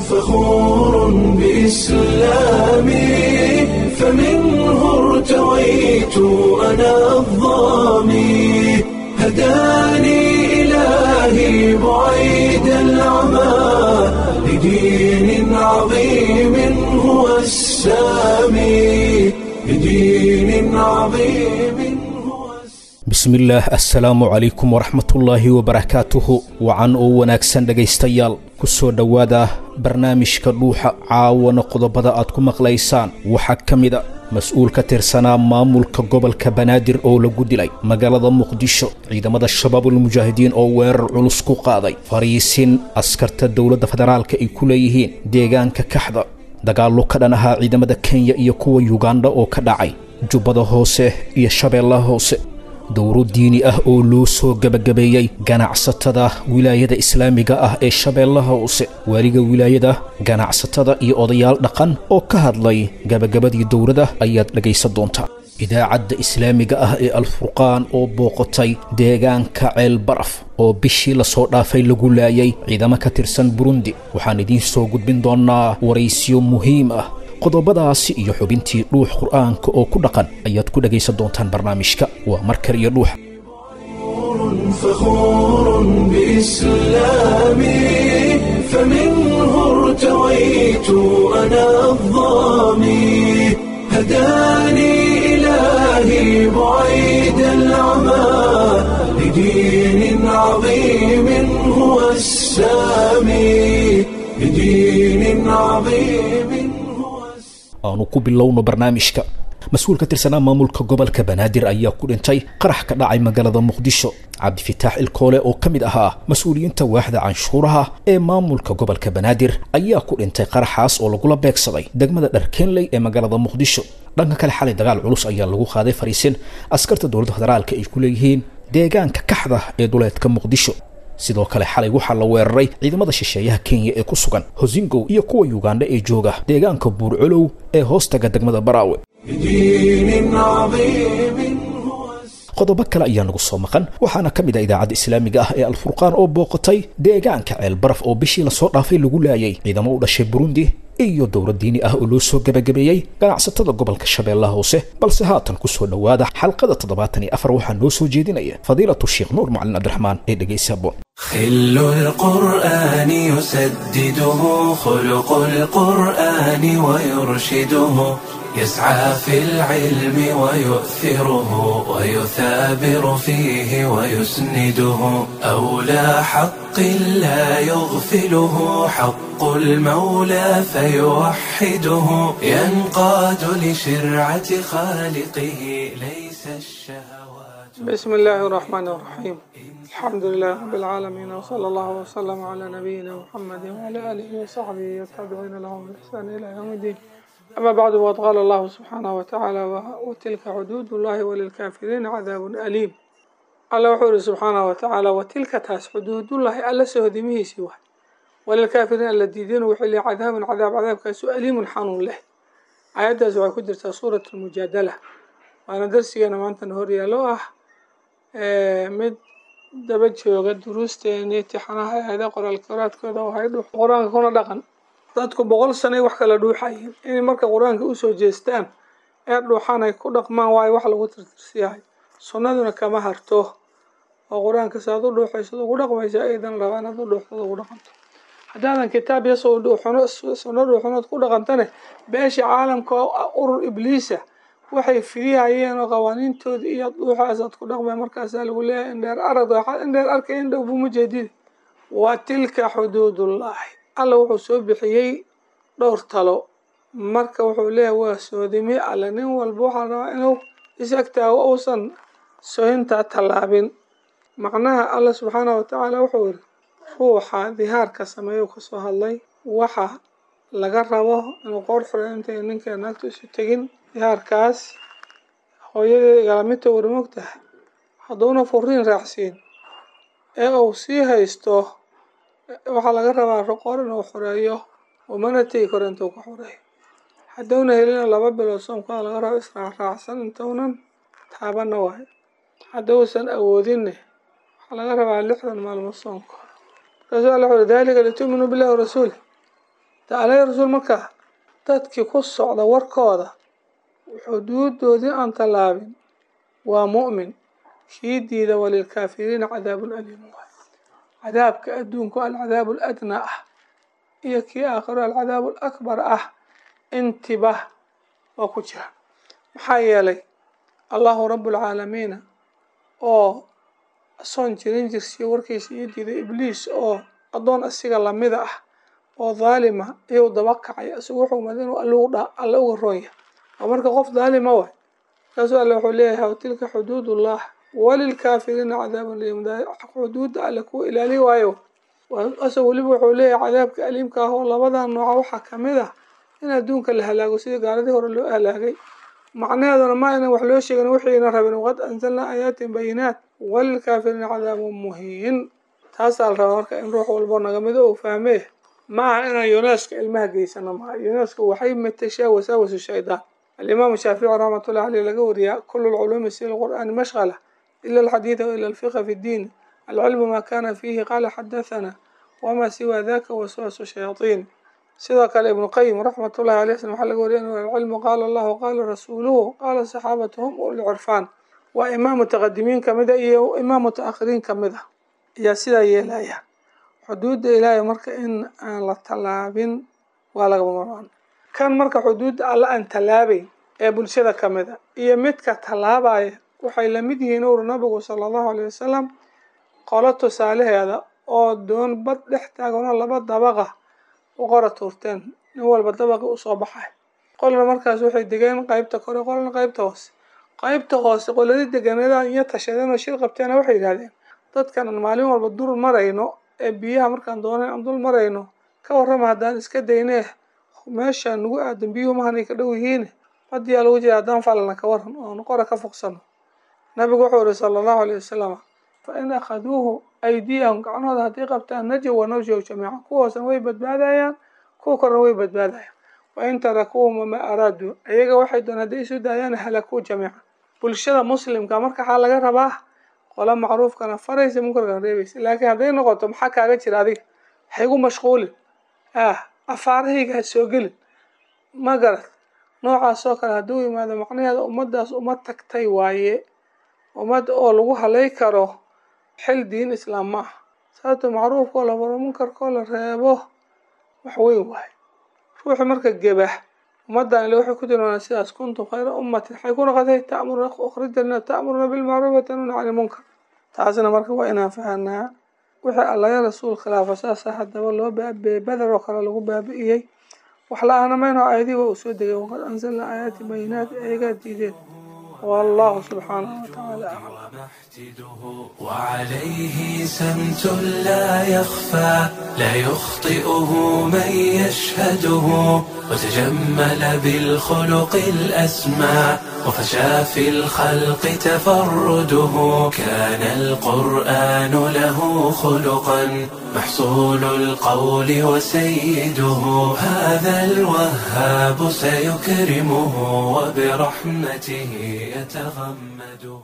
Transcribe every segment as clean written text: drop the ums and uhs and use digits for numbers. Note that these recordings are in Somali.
فخور بإسلامي، فمنه ارتويت أنا الظامي، هداني إلهي بعيد العمى لدين عظيم هو السامي، لدين عظيم هو السامي. Bismillaah, assalaamu calaykum waraxmatullaahi wabarakaatuhu. Wacan oo wanaagsan dhegaystayaal, ku soo dhowaada barnaamijka Dhuuxa. Caawana qodobada aad ku maqlaysaan waxaa ka mida mas-uul ka tirsanaa maamulka gobolka Banaadir oo lagu dilay magaalada Muqdisho, ciidamada Shabaabulmujaahidiin oo weerar culus ku qaaday fariisin askarta dowladda federaalka ay ku leeyihiin deegaanka Kaxda, dagaallo ka dhan ahaa ciidamada Kenya iyo kuwa Yugandha oo ka dhacay Jubbada Hoose iyo Shabeellaha Hoose, dowro diini ah oo loo soo gebagabeeyey ganacsatada wilaayada islaamiga ah ee Shabeellaha Hoose, waaliga wilaayada, ganacsatada iyo odayaal dhaqan oo ka hadlay gebagabadii dowladda ayaad dhegaysan doontaa. Idaacadda islaamiga ah ee Alfurqaan oo booqatay deegaanka Ceel Baraf oo bishii lasoo dhaafay lagu laayay ciidamo ka tirsan Burundi, waxaan idiin soo gudbin doonnaa waraysiyo muhiim ah. Qodobadaasi iyo xubintii Dhuux Qur'aanka oo ku dhaqan ayaad ku dhegaysan doontaan barnaamijka. Waa markar iyo Dhuuxa. فخور بإسلامي، فمنه ارتويت أنا الظامي، هداني إلهي بعيد العمى لدين عظيم هو السامي، لدين عظيم هو السامي. Aanu ku bilowno barnaamijka. Mas-uul ka tirsanaa maamulka gobolka Banaadir ayaa ku dhintay qarax ka dhacay magaalada Muqdisho. Cabdifitaax Ilkoole oo ka mid ahaa mas-uuliyiinta waaxda canshuuraha ee maamulka gobolka Banaadir ayaa ku dhintay qaraxaas oo lagula beegsaday degmada Dharkeenley ee magaalada Muqdisho. Dhanka kale, xalay dagaal culus ayaa lagu qaaday fariisin askarta dowladda federaalka ay ku leeyihiin deegaanka Kaxda ee duleedka Muqdisho. Sidoo kale xalay waxaa la weeraray ciidamada shisheeyaha Kenya ee ku sugan Hosingow iyo kuwa Yugandha ee jooga deegaanka Buurcolow ee hoostaga degmada Baraawe. لدين عظيم هو السامي. Qodobo kale ayaa nagu soo maqan, waxaana ka mid ah idaacadda islaamiga ah ee Alfurqaan oo booqatay deegaanka Ceel Baraf oo bishii lasoo dhaafay lagu laayay ciidamo u dhashay Burundi, iyo dowlad diini ah oo loo soo gebagabeeyey ganacsatada gobolka Shabeellaha Hoose. Balse haatan ku soo dhowaada xalqada 74, waxaa noo soo jeedinaya fadiilatu Sheekh Nuur Macalin Cabdiraxmaan ee dhegaysa boon. خل القرآن يسدده خلق القرآن ويرشده، يسعى في العلم ويؤثره ويثابر فيه ويسنده، أولى حق لا يغفله حق المولى فيوحده، ينقاد لشرعة خالقه، ليس الشهوات. بسم الله الرحمن الرحيم، الحمد لله رب العالمين، وصلى الله وسلم على نبينا محمد وعلى آله وصحبه والتابعين لهم بإحسان إلى يوم الدين. أما بعد، وقد قال الله سبحانه وتعالى: وتلك حدود الله وللكافرين عذاب أليم. Alla wuxuu yidhi subxaanahu watacaala: وتلك taas حدود الله alla sohodimihiisii waay, وللكافرين alla diideen wuxuu leeyahay عذاب cadaab, cadaabkaasu أليم xanuun leh. Aayaddaas waxay ku jirtaa Suurat Almujaadala, waana darsigeena maantana horyaalo ah mid daba jooga duruusteena imtixaanaha aayada qoraal qoraadkooda oo hay Dhuux Qur-aanka kuna Dhaqan. Dadku 100 sanay wax kala dhuuxayeen, inay marka qur-aanka usoo jeestaan ee dhuuxaan ay ku dhaqmaan waayo wax lagu tirtirsiyahay. Sunnaduna kama harto oo qur-aanka saad u dhuuxayso ugu dhaqmaysa aydan rabaa inaad u dhuuxdo ugu dhaqanto. Haddaadan kitaab iyo dhuuxuno sunno dhuuxunood ku dhaqantane, beesha caalamka oo urur ibliisa waxay fidihayeen oo qawaaniintooda iyo dhuuxaasaad ku dhaqmay, markaasaa lagu leeyahay indheer arag, indheer arkay indhow buma jeedid. وتلك حدود الله. Alla wuxuu soo bixiyey dhowr talo. Marka wuxuu leeyahay waa soodimi alle, nin walba waxaa rabaa inuu is agtaago, uusan sohintaa tallaabin. Macnaha Alla subxaanahu watacaala wuxuu yidhi ruuxa dihaarka sameeyuu kasoo hadlay waxa laga rabo inuu qoor xuro intay ninka naagtu isu tegin. Dihaarkaas hooyadii igalamidta wari mogtahay, hadduuna furiin raacsiin ee uu sii haysto, waxaa laga rabaa qoor inuu xoreeyo, umana tegi karo intuu ka xoreeyo. Hadduuna helina, 2 bilood soomkaa laga rabo israacraacsan intuunan taabanna waayo. Hadduusan awoodinne, waxaa laga rabaa 60 maalmood soonkooda. Markaasuu Alla wuxu ذلك لتؤمنوا بالله ورسوله. Alla rasuul marka dadkii ku socda warkooda xuduudoodii aan tallaabin waa mu'min. Kii diida walilkaafiriina cadaabun aliim waay. Cadaabka adduunku alcadaabu aladnaa ah iyo kii aakhiro alcadaabu alakbar ah intiba waa ku jira. Maxaa yeelay Allahu rabbulcaalamiina oo asoon jirin jirsiyo warkiisa iyo diiday Ibliis oo addoon asiga lamida ah oo dhaalima iyuu daba kacay, isagu wuxuu mad inuu alle uga roon yahay. Oo marka qof dhaalima waay. Markaasuu Alle wuxuu leeyahay watilka xuduudullah walilkaafiriina cadaabun aliim. Xuduudda Alle kuwa ilaali waayo. Asag weliba wuxuu leeyahay cadaabka aliimka ah oo labadan nooca waxaa kamid ah in adduunka la halaago sidii gaaladii hore loo halaagay. Macnaheeduna ma aynan wax loo sheegin wixiina rabin. Waqad anzalnaa aayaatin bayinaat walilkaafiriina cadaabun muhiin. Taasaa la rabaa marka in ruux walbo naga mido uu fahmee. Ma aha inaan yuneska ilmaha geysano, maaha. Yuneska waxay matashaa wasaawasu shaydaan. Alimaamu Shaafici raxmatullahi caleyh laga wariyaa kulu lculuumi sila lqur'aani mashqala ila alxadiida wa ila alfiqa fi ddiin. Alcilmu maa kana fiihi qaala xadathana wamaa siwa daka waswaasu shayaatiin. Sidoo kale Ibnu Qayim raxmatullahi caleyh waxaa laga wariya inuu alcilmu qaala Allahu qaala rasuuluhu qaala saxaabatu hum ulcirfaan. Waa imaam mutaqadimiin kamid a iyo imaam mutaakhiriin kamid ah ayaa sidaa yeelaya. Xuduudda Ilaahay marka in aan la tallaabin waa lagama maarmaan. Kan marka xuduudda Alle aan tallaabayn ee bulshada kamid a iyo midka tallaabaya waxay lamid yihiin ur nabigu sala Allahu alayhi wasalam qolo tusaalaheeda oo doon bad dhex taaganoo laba dabaqa u qora tuurteen, nin walba dabaqii usoo baxay. Qolna markaas waxay degeen qaybta kore, qolna qaybta hoose. Qaybta hoose qoladii deganeedaan iyo tashadeen oo shir qabteena waxay yidhahdeen dadkan aan maalin walba dul marayno ee biyaha markaan doonayn aan dul marayno, ka warrama haddaan iska daynee meesha nagu aadan biyuhu mahanay ka dhow yihiin, badiyaa lagu jira, haddaan falana ka waran oon qora ka foqsano. Nabigu wuxuu yihi sala Allahu alayhi wasalam fa in akhaduuhu aydiyahum, gacnahooda haddii qabtaan, najow wa nawjow jamiican, kuwa hoosena way badbaadayaan, kuwa korna way badbaadayaan. Wa in tarakuuhum wamaa araaduu, iyaga waxay doon hadday isu daayaan, halakuu jamiican. Bulshada muslimka marka waxaa laga rabaa qola macruufkana faraysa munkarkana reebaysa. Laakiin hadday noqoto maxaa kaaga jira adiga, ha igu mashquulin, afaarahayga ha soo gelin, ma garad noocaas oo kale hadduu yimaado, macnaheeda ummaddaas uma tagtay waaye. Ummad oo lagu halay karo xil diin islaam ma aha. Sababto macruufkoo la faro munkarkoo la reebo wax weyn waaye. Ruuxu marka gebah ummaddan ile waxay ku tilmaameen sidaas kuntum khayra ummatin waxay ku noqotay ta'muruna ukhrijat ta'muruna bilmacruuf wa tanhuna cani lmunkar. Taasna marka waa inaan fahanaa wixii Alla rasuul khilaafa saasa haddaba loo baabi'iyey, Badar oo kale lagu baabi'iyey. Wax la-aana mayno aayadii waa uu soo degay waqad anzalnaa aayaati bayinaat, ayagaa diideen. والله سبحانه وتعالى أعلم. ومحتده وعليه سمت لا يخفى لا يخطئه من يشهده وتجمل بالخلق الأسمى وفشى في الخلق تفرده. كان القرآن له خلقا محصول القول وسيده. هذا الوهاب سيكرمه وبرحمته يتغمده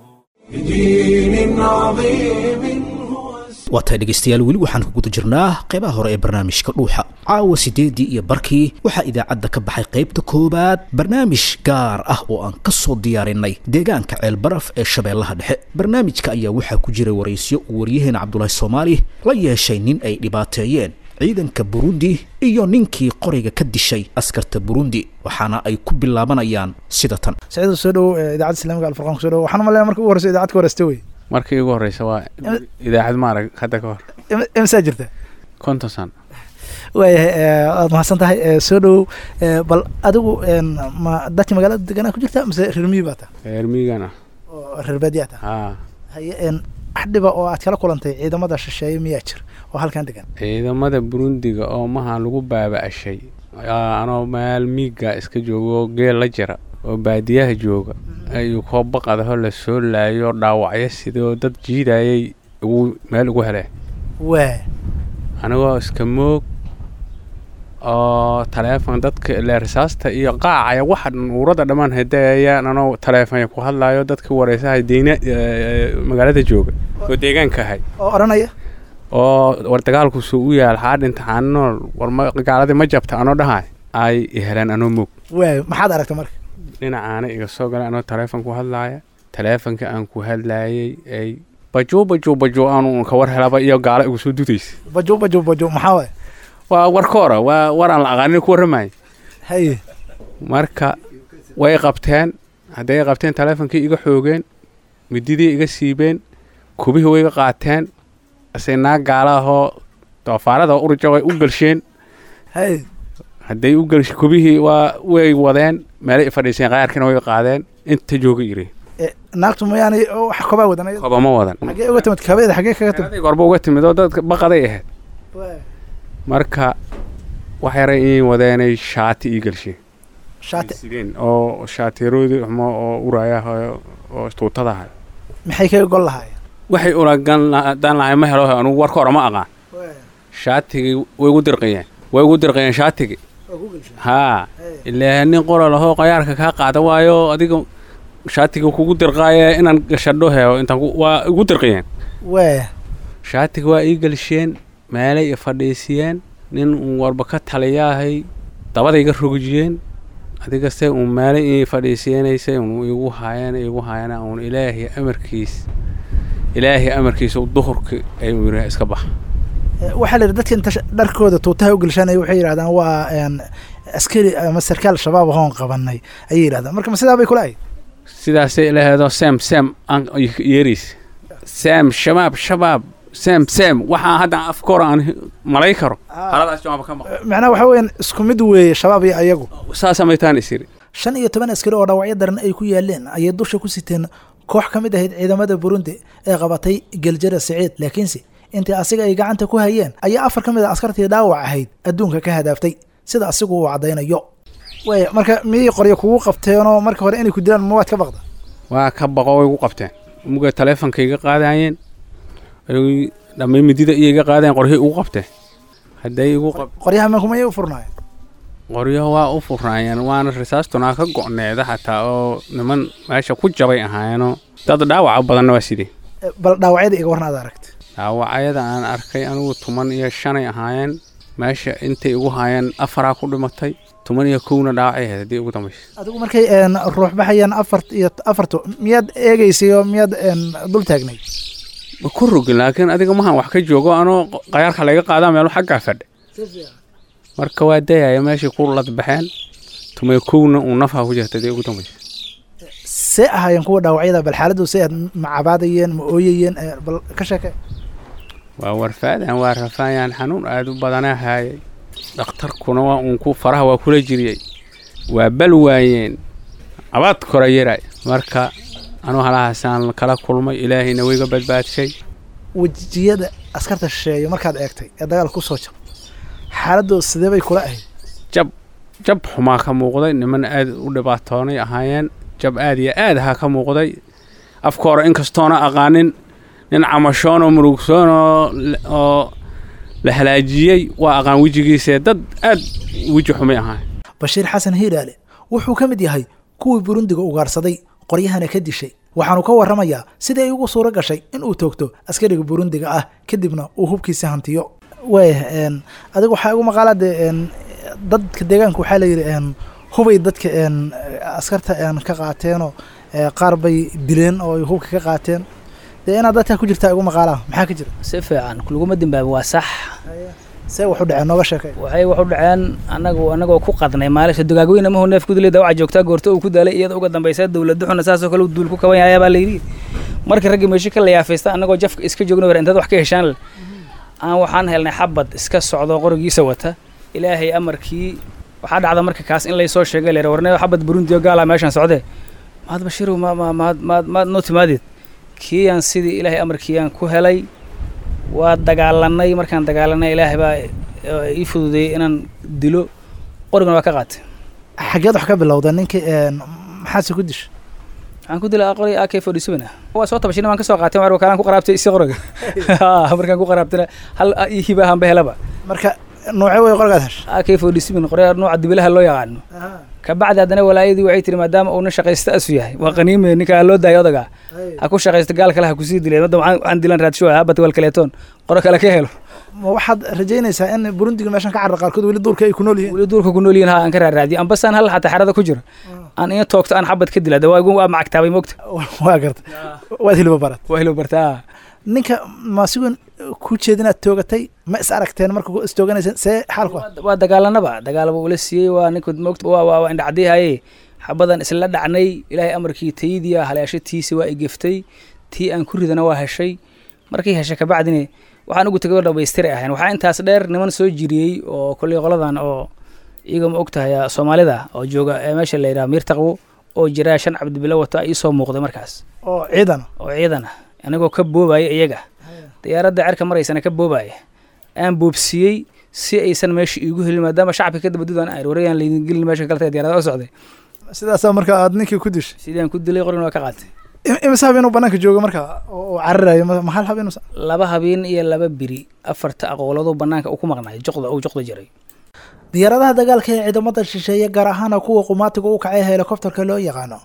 بدين عظيم هو. Waa tahay dhegaystayaal, weli waxaan ku guda jirnaa qeybaha hore ee barnaamijka Dhuuxa. Caawa 8:30 waxaa idaacadda ka baxay qaybta koowaad barnaamij gaar ah oo aan ka soo diyaarinay deegaanka Ceelbaraf ee Shabeellaha Dhexe. Barnaamijka ayaa waxaa ku jiray waraysyo uu waryaheena Cabdulaahi Soomaali la yeeshay nin ay dhibaateeyeen ciidanka Burundi iyo ninkii qoriga ka dishay askarta Burundi, waxaana ay ku bilaabanayaan sida tan. Saciid, soo dhow idaacadda islaamiga Alfurqaan, kusoo dhow. Waxaan umaleynaya markii ugu horeysa idaacad ka wareysta wey. Markii ugu horeysa waa idaacad maarag hadda ka hor. Imsaa jirta? 50 sano. Waayahay, waad mahadsan tahay, soo dhowow. Bal adigu ma dadka magaalada deganaa ku jirta mise reer miyi baa tahay? Reer miyigan ah. Oo reer baadiyaa tahay? Haa. Haye, wax dhiba oo aad kala kulantay ciidamada shisheeye miyaa jir oo halkan degan? Ciidamada Burundiga oo maha lagu baaba'ashay anoo meel miiga iska joogo, geel la jira oo baadiyaha jooga, ayuu koo baqadaho la soo laayo, dhaawacyo sidoo dad jiidayay ugu meel ugu heleen. Waa anigoo iska moog oo taleefon dadka ile risaasta iyo qaacaya waxa dhan uurada dhammaan hadayayaan, anoo taleefon ku hadlayo dadka wareysahay deyna magaalada jooga oo deegaanka ahay oo odhanaya Oo war dagaalku suu u yaal xaa dhinta xaanool war ma gaaladii ma jabta anoo dhahay ay i heleen anoo moog. Waay, maxaad aragtay marka? Dhinacaana iga soo galay anoo taleefon ku hadlaaya, taleefonka aan ku hadlaayay ay bajuu bajuu bajuu aanu ka war helaba iyo gaalo igu soo dudaysa. Bajo bajo bajo maxaa waay? Waa warkoora, waa war aan la aqaanin ku warramaya. Haye. Marka way qabteen, hadday qabteen taleefonkii iga xoogeen, mididii iga siibeen, kubihii way iga qaateen, ase naag gaalaahoo doofaarada urja way u galsheen. Haye. Hadday u galsh kubihii waa way wadeen meelay i fadhiiseen, qaarkiina way qaadeen inta jooga yiri. Naagtu mayaanay wax kobaa wadan ayada? Koba ma wadan. Xaggee uga timid kabeeda, xaggee kaga timid? Adig horba uga timid oo dadka baqaday ahayd. Waay. Marka wax yaray inay wadeenay shaati ii galsheen. Shaati? Sideen oo shaatiyaroodii xumo oo uraya oo tuutada ahay. Maxay kaga gol lahaayeen? Waxay ulagan dan lahay ma helo, anugu warka hore ma aqaan. Waay. Shaatigii way igu dirqiyeen, way igu dirqiyeen shaatigii. Waa ku galsheen? Haa. Haye. Ilaa nin qora lahoo qayaarka kaa qaada waayo adiga shaatiga kugu dirqaaye inaan gashadho heo intaan waa igu dirqiyeen. Waay. Shaatiga waa ii galsheen, meelay i fadhiisiyeen, nin uun warba ka taliyaahay dabada iga rogijiyeen, adiga se uun meelay ii fadhiisiyeenaysay uun igu haayeen igu haayeen uun ilaahay amarkiis, ilaahay amarkiisa duhurki ay uu yidhi iska bax. Waxaa la yidhi dadka inta dharkooda tuutaha u gelshanaya waxay yidhahdaan waa askari ama sarkaal shabaab ahoon qabanay ayay yidhahdaan. Marka ma sidaa bay kula ahayd? Sidaasay ilaheedoo sem sem aan yeeriis sem shabaab shabaab sem sem waxaan hadda afka hore aan malay karo haladaas jawaaba ka maqan. Macnaha waxaa weeyaan isku mid weeye shabaab iyo ayagu. Saasaa maytaan isiri. 15 askari oo dhaawacyo daran ay ku yaaleen ayay dusha ku siteen koox ka mid ahayd ciidamada Burundi ee qabatay Geljara Siciid, laakiinse intii asiga ay gacanta ku hayeen ayaa 4 ka mid ah askartii dhaawac ahayd adduunka ka hadaaftay sida asigu uu caddaynayo. Waaya, marka miyay qoryo kugu qabteenoo marka hore inay ku dilaan ma waad ka baqda? Waa ka baqo, way igu qabteen muga taleefonka iga qaadayeen, ay dhamay midida iyo iga qaadayeen, qoryahay igu qabteen hadday igu qab Qoryaha ma kumayay u furnaayeen? Qoryaha waa u furnaayeen, waana risaastunaa ka go'needa xataa oo niman meesha ku jabay ahaayeenoo dad dhaawaca badanna waa sidee. Bal dhaawacyada iga warna aad aragtay. Dhaawacyada aan arkay anigu 15 ahaayeen, meesha intay igu haayeen 4 ku dhimatay, 11na dhaawacay ahayd haddii ugu dambaysa. Adigu markay ruux baxayaan 4 iyo 4tu miyaad eegaysay oo miyaad dul taagnay? Ma ku rogin, laakiin adiga mahan wax ka joogo anoo qayaarka laga qaadaa meelo xaggaa fadhi, marka waa dayaya meeshay ku ladbaxeen, 11na uu nafha ku jirta haddii ugu dambaysa. See ahaayeen kuwa dhaawacyada? Bal xaaladdu see aad, ma cabaadayeen, ma ooyayeen? Bal ka sheekee. Waa warfaadaan, waa rafaayaan, xanuun aad u badanaa haayay, dhakhtarkuna waa uun ku faraha waa kula jiriyey, waa bal waayeen abaad kora yaray. Marka anuu halahaasaan kala kulmay, ilaahayna wayga badbaadshay. Wejiyada askarta shisheeye markaad eegtay ee dagaalka ku soo jab, xaaladdu sidee bay kula ahayd? Jab jab xumaa ka muuqday, niman aad u dhibaatoonay ahaayeen, jab aad iyo aad ahaa ka muuqday afka hore inkastoona aqaanin nin camashoon oo murugsoon oo la halaajiyey waa aqaan wejigiisa, dad aad weji xumay ahaayeen. Bashiir Xasan Hiiraale wuxuu ka mid yahay kuwii Burundiga ugaarsaday qoryahana ka dishay, waxaanu ka warramayaa sidii ay ugu suuro gashay in uu toogto askariga Burundiga ah kadibna uu hubkiisa hantiyo. Waaya, adiga waxaa igu maqaalaa dee dadka deegaanka waxaa la yidhi hubay dadka askarta ka qaateenoo qaar bay dileen oo ay hubka ka qaateen, dee inaad dadka ku jirtaa igu maqaalaa, maxaa ka jira? Si fiican laguma dimbaabin, waa sax. See wax u dhaceen nooga sheekay. Waxay wax u dhaceen anagu anagoo ku qadnay maalisha dugaagweyne mahu neef kudilay dawaca joogtaa goorto uu ku daalay iyada uga dambaysa dowladda xuna saasoo kale uu duul ku kaban yahay baa layidhi. Markii raggii meesha ka layaafaysta anagoo jafka iska joogna war intaad wax ka heshaan leh aan waxaan helnay xabad iska socdo qorigiisa wata. Ilaahay amarkii waxaa dhacda marka kaas in laysoo sheegay leer warnay xabad Burundi oo gaala meeshaan socdee maad Bashiirow ma ma maad maad maad noo timaadid kiiyaan sidii ilaahay amarkiiyaan ku helay. Waa dagaalanay, markaan dagaalanay ilaahay baa ii fududeeyey inaan dilo, qorigana waa ka qaatay. Xaggeed wax ka bilowda ninkii, maxaase ku dishay? Waxaan ku dilay qori AK-47 ah, waa soo tabashina waan ka soo qaatay waar wakaalaan ku qaraabtay isi qoriga, markaan ku qaraabtayna hal ii hiba ahaan ba helaba. Marka Noocee way qorigaad heshay? AK-47, qoryaha nooca dibilaha loo yaqaano. Kabacdi haddana walaayadii waxay tiri, maadaama uuna shaqaysta asu yahay, waa qaniime ninkaa loo daayo, odaga ha ku shaqaysto, gaal kale ha kusii dileen. Hadda waxaan dilan raadsho habat wal kaleetoon qoro kale ka helo. Ma waxaad rajaynaysaa in Burundiga meeshan ka carra qaarkood weli duurka ay ku nool yihiin? Weli duurka ku nool yihiin, ha aan ka raaraadiyo, ambasaan hal xataa xerada ku jiro aan ina toogto, aan xabad ka dila. Waa waa macagtaabay, mogta. Waa garta, waad hiliba barat. Waa hiliba bartaa. Ninka ma sigoon ku jeedinaad toogatay? Ma is aragteen marka istooganaysa? See xaalku? Waa dagaalanaba, dagaalaba ula siiyey. Waa ninka, mogta, waa indhacdihaye, xabadan isla dhacnay. Ilaahay amarkii taydiya haleesho tiisi waa igeftay, tii aan ku ridana waa heshay. Markii heshay kabacdina waxaan ugu tegay oo dhamaystiri ahayn. Waxaa intaas dheer niman soo jiriyey oo kolley qoladan oo iyaga, ma og tahay, Soomaalida oo jooga ee meesha la yidhaha Miirtaqwo oo jira, 5 Cabdibilo wata iisoo muuqday markaas. Oo ciidan? Oo ciidan ah, anigoo ka boobaya iyaga, diyaaradda cerka maraysana ka boobaya, aan boobsiiyey si aysan meesha iigu helin, maadaama shacabka ka dabadudaan aan warayaan laydin gelin meesha kale diyaarada u socday. Sidaasaa marka aad ninkii ku dishay? Sidaan ku dilay, qorin waa ka qaatay. Imise habeen uu banaanka jooga marka oo cararayo? Ma hal habeen? 2 habeen iyo 2 biri, afarta aqooladu banaanka uu ku maqnaay, joqda uu joqda jiray. Diyaaradaha dagaalka ee ciidamada shisheeye, gaar ahaana kuwa qumaatiga u kacay, helikobterka loo yaqaano,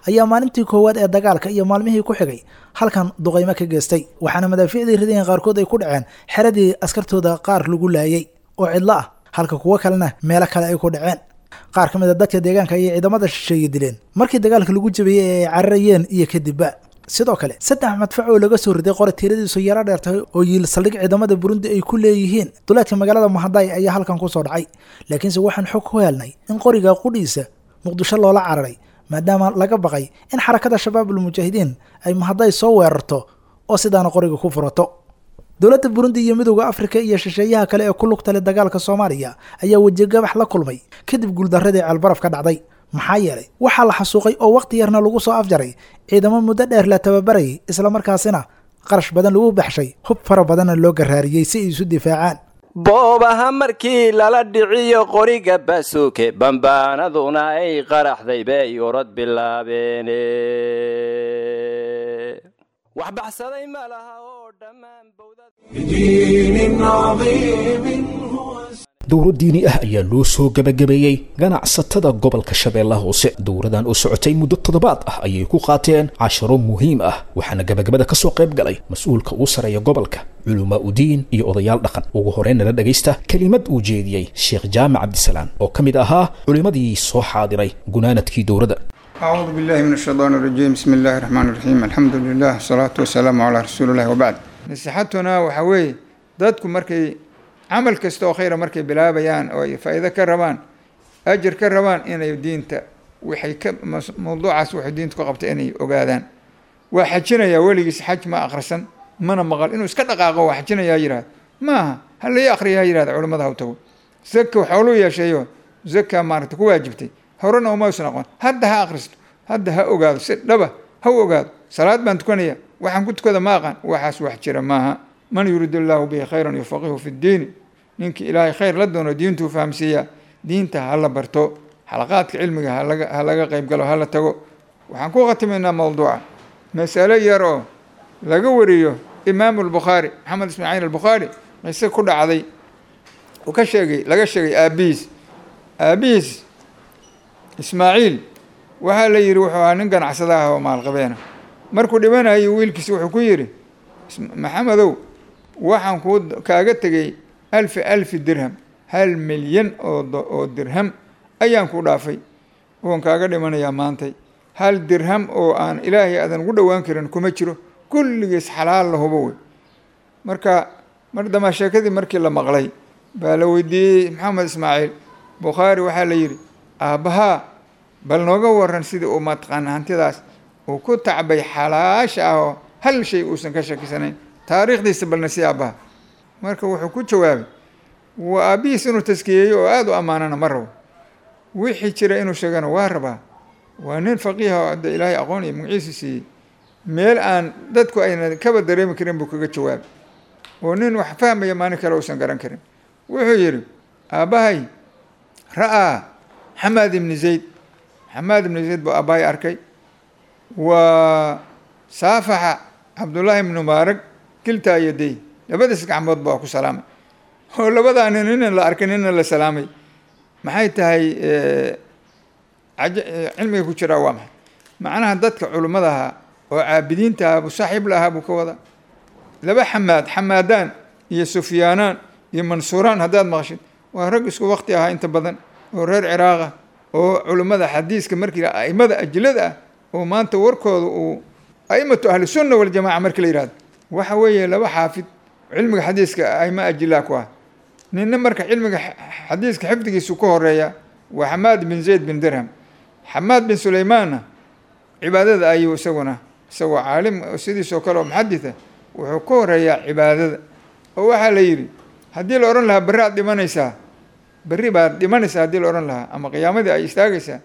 ayaa maalintii koowaad ee dagaalka iyo maalmihii ku xigay halkan duqaymo ka geystay, waxaana madaafiicdii ridayeen qaarkood ay ku dhaceen xeradii askartooda qaar lagu laayay oo cidlo ah, halka kuwo kalena meelo kale ay ku dhaceen. Qaar ka mid a dadka deegaanka ayay ciidamada shisheeye dileen markii dagaalka lagu jabiyey ee ay cararayeen iyo kadibba. Sidoo kale 3 madfac oo laga soo riday qori tiradiisu yaro dheer tahay oo yiil saldhig ciidamada Burundi ay ku leeyihiin duleedka magaalada Mahaday ayaa halkan kusoo dhacay, laakiinse waxaan xog ku helnay in qoriga qudhiisa Muqdisho loola cararay, maadaama laga baqay in Xarakada Shabaabul Mujaahidiin ay Mahaday soo weerarto oo sidaana qoriga ku furato. Dowladda Burundi iyo Midowda Afrika iyo shisheeyaha kale ee ku lugta leh dagaalka Soomaaliya ayaa wejigabax la kulmay kadib guuldarradii Ceelbaraf ka dhacday, maxaa yeelay waxaa la xasuuqay oo waqti yarna lagu soo afjaray ciidamo muddo dheer la tababarayay, islamarkaasina qarash badan lagu baxshay, hub fara badanna loo garaariyey si ay isu difaacaan. Boobaha markii lala dhiciyo qoriga baasuuke, bambaanaduna ay qaraxday, bay orod bilaabeene, wax baxsaday ma laha oo dhammaan. Dowro diini ah ayaa loo soo gabagabeeyey ganacsatada gobolka Shabeellaha Hoose. Dowradan oo socotay muddo toddobaad ah ayay ku qaateen casharo muhiim ah, waxaana gabagabada ka soo qayb galay mas-uulka uu sareeya gobolka, culumaa udiin iyo odayaal dhaqan. Ugu horreyn nala dhagaysta kelimad uu jeediyey Sheekh Jaamac Cabdisalaam oo ka mid ahaa culimmadii soo xaadiray gunaanadkii dowradda. أعوذ بالله من الشيطان الرجيم، بسم الله الرحمن الرحيم، الحمد لله والصلاة والسلام على رسول الله، وبعد. نصيحتنا waxaa weeye, dadku markay camal kasta oo khayra markay bilaabayaan oo ay faa'iido ka rabaan, ajir ka rabaan, inay diinta waxay ka mawduucaas waxay diinta ku qabtay inay ogaadaan. Waa xajinayaa, weligiis xaj ma akhrisan mana maqal, inuu iska dhaqaaqo waa xajinayaa yidhahda maaha, ha lai akhriya ha yidhahda, culimmada ha u tago. Zaka xooluu yeesheeyo, zaka maaragta ku waajibtay horena uma usan aqoon, hadda ha akhristo, hadda ha ogaado, si dhaba ha u ogaado. Salaad baan tukanaya, waxaan ku tukada ma aqaan, waxaas wax jira maaha. Man yuriid illaahu bihi khayran yufaqihu fi ddiini, ninkii Ilaahay khayr la doono diintuu fahamsiiyaa. Diinta ha la barto, xalaqaadka cilmiga ha laga qayb galo, ha la tago. Waxaan ku khatimaynaa mawduuca masalo yar oo laga wariyo Imaamu Albukhaari, Maxamed Ismaaciil Albukhaari, qiso ku dhacday uu ka sheegay, laga sheegay aabihiis. Aabihiis Ismaaciil waxaa la yidhi wuxuu ahaa nin ganacsada ah oo maalqabeena. Markuu dhimanayay wiilkiisi wuxuu ku yidhi: "Maxamedow, waxaan kuu kaaga tegey alfi alfi dirham, 1 milyan oo dirham ayaan ku dhaafay oon kaaga dhimanayaa maantay. Hal dirham oo aan Ilaahay aadan ugu dhowaan karin kuma jiro, kulligiis xalaal la hubo wey." Marka mar dambaa sheekadii markii la maqlay baa la weydiiyey Maxamed Ismaaciil Bukhaari, waxaa la yidhi: "Aabbahaa bal nooga waran sidii uu mataqaana hantidaas uu ku tacbay xalaasha ah oo hal shay uusan ka shakisanayn, taariikhdiisa balna si aabbaha." Marka wuxuu ku jawaabay, waa aabbihiis inuu taskiyeeyo oo aada u ammaanana ma rabo, wixii jira inuu sheegana waa rabaa. Waa nin faqiiha oo de Ilaahay aqoon iyo magaciisa siiyey, meel aan dadku ayna kaba dareemi karin buu kaga jawaabay, oo nin wax fahmaya maalin kale uusan garan karin. Wuxuu yidhi: "Aabbahay ra'aa Xamaad ibni Zayd, Xamaad ibni Zayd buu aabbahay arkay, waa saafaxa Cabdullaahi ibnu Mubaarak kiltaa yaday, labadiis gacmood baa ku salaamay." Oo labadaa nin nina la arkay, nina la salaamay. Maxay tahay cilmiga ku jiraa? Waa maxay macnaha? Dadka culimmada ahaa oo caabidiinta ahaa buu saaxiib la ahaa buu ka wadaa. Laba Xamaad, Xamaadaan iyo Sufyaanaan iyo Mansuuraan haddaad maqashid, waa rag isku waqti ahaa inta badan oo reer Ciraaqa oo culimmada xadiiska markii aimada ajilada ah oo maanta warkooda uu aimatu ahlisunna waljamaca markii la yihahdo, waxa weeye laba xaafid cilmiga xadiiska aima ajilaa ku ah. Ninna marka cilmiga xadiiska xifdigiisu ka horeeya waa Xamaad bin Zayd bin Dirham. Xamaad bin Sulaymaanna cibaadada ayuu isaguna, isagoo caalim sidiisoo kale oo muxaditha, wuxuu ka horeeyaa cibaadada. Oo waxaa la yidhi, haddii la odhan lahaa berri aad dhimanaysaa, berri baad dhimanaysaa haddii la odhan lahaa ama qiyaamadii ay istaagaysaa,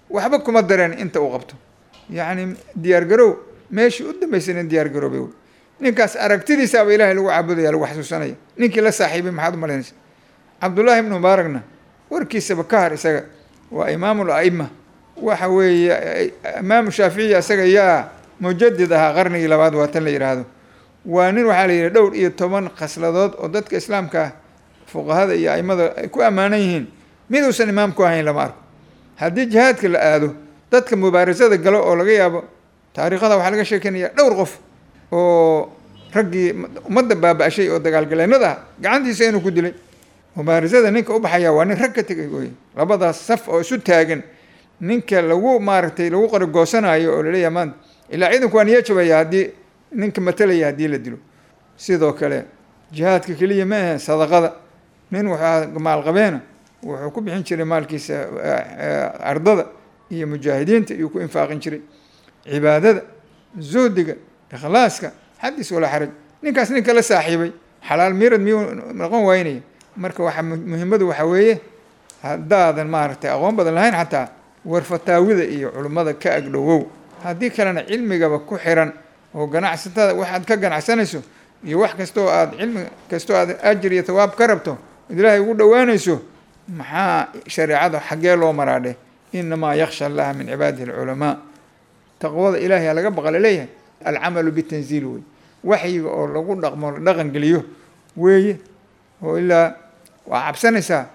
waxba kuma dareen inta uu qabto. Yacni diyaargarow meeshii u dambaysay nin diyaargaroobay wey. Ninkaas aragtidiisaaba Ilaahay lagu caabudaya, lagu xasuusanaya. Ninkii la saaxiibay maxaad u malaynaysa? Cabdullaahi ibnu Mubaarakna warkiisaba ka har, isaga waa imaamul a'ima. Waxa weeye Imaamu Shaaficiya isaga yaa mujadid ahaa qarnigii labaad, waa tan la yidhaahdo. Waa nin waxaa la yidhi dhowr iyo toban khasladood oo dadka islaamka ah fuqahada iyo aimada ay ku ammaanan yihiin miduusan imaam ku ahayn lama arko. Haddii jihaadka la aado, dadka mubaarasada galo oo laga yaabo taariikhada waxaa laga sheekeynaya dhowr qof oo raggii ummadda baaba-ashay oo dagaalgaleennada ah gacantiisa inuu ku dilay. Mubaarasada ninka u baxaya waa nin rag ka tegay wey. Labadaas saf oo isu taagan ninka lagu maaragtay lagu qarigoosanaayo oo laleeyahay maanta ilaa ciidanku waa niyo jabaya haddii ninka matalaya haddii la dilo. Sidoo kale jihaadka keliya ma ahe, sadaqada nin wuxuu maalqabeena wuxuu ku bixin jiray maalkiisa ardada iyo mujaahidiinta iyuu ku infaaqin jiray. Cibaadada, zuhdiga, ikhlaaska, xadis walaa xaraj. Ninkaas ninka la saaxiibay xalaal miirad miyuu noqon waynaya? Marka waxa muhiimadu waxa weeye, haddaadan maaragtay aqoon badan lahayn xataa war fataawida iyo culimmada ka agdhowow. Haddii kalena cilmigaba ku xiran oo ganacsatada waxaad ka ganacsanayso iyo wax kastoo aad cilmi kastoo aad ajir iyo thawaab ka rabto od Ilaahay ugu dhowaanayso, maxaa shareecada xaggee loo maraadhe? Inamaa yakhsha Allaha min cibaadihi alculamaa. Taqwada Ilaahay laga baqa laleeyahay alcamalu bitanziil wey, waxyiga oo lagu dhaqmo, la dhaqan geliyo weeye. Oo ilaa waa cabsanaysaa,